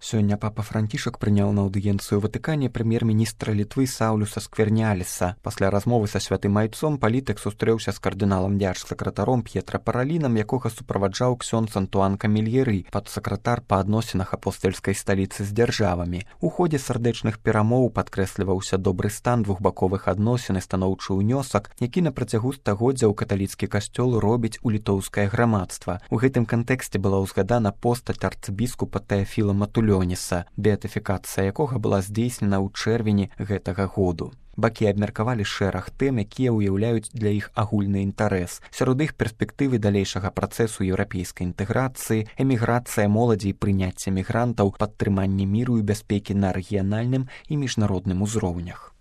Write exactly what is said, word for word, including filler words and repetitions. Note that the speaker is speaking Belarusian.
Сёння папа Францішак прыняў на аўдыенцыю ў Ватыкане прэм'ер-міністра Літвы Саўлюса Скверняліса. Пасля размовы са святым айцом палітык сустрэўся з кардыналам дзяржсакратаром П'етра Паралінам, якога суправаджаў ксёндз Антуан Камільеры, падсакратар па адносінах апостальскай сталіцы з дзяржавамі. У ходзе сардэчных перамоў падкрэсліваўся добры стан двухбаковых адносін і станоўчы ўнёсак, які на працягу стагоддзяў каталіцкі касцёл робіць у літоўскае грамадства. У гэтым кантэксце была ўзгадана постаць арцыбіскупа Тэафіла Матулёніса, беатыфікацыя якога была здзейснена ў чэрвені гэтага году. Бакі абмеркавалі шэраг тэм, якія ўяўляюць для іх агульны інтарэс. Сярод іх перспектывы далейшага працэсу еўрапейскай інтэграцыі, эміграцыя моладзі і прыняцце мігрантаў, падтрыманне міру і бяспекі на рэгіянальным і міжнародным узроўнях.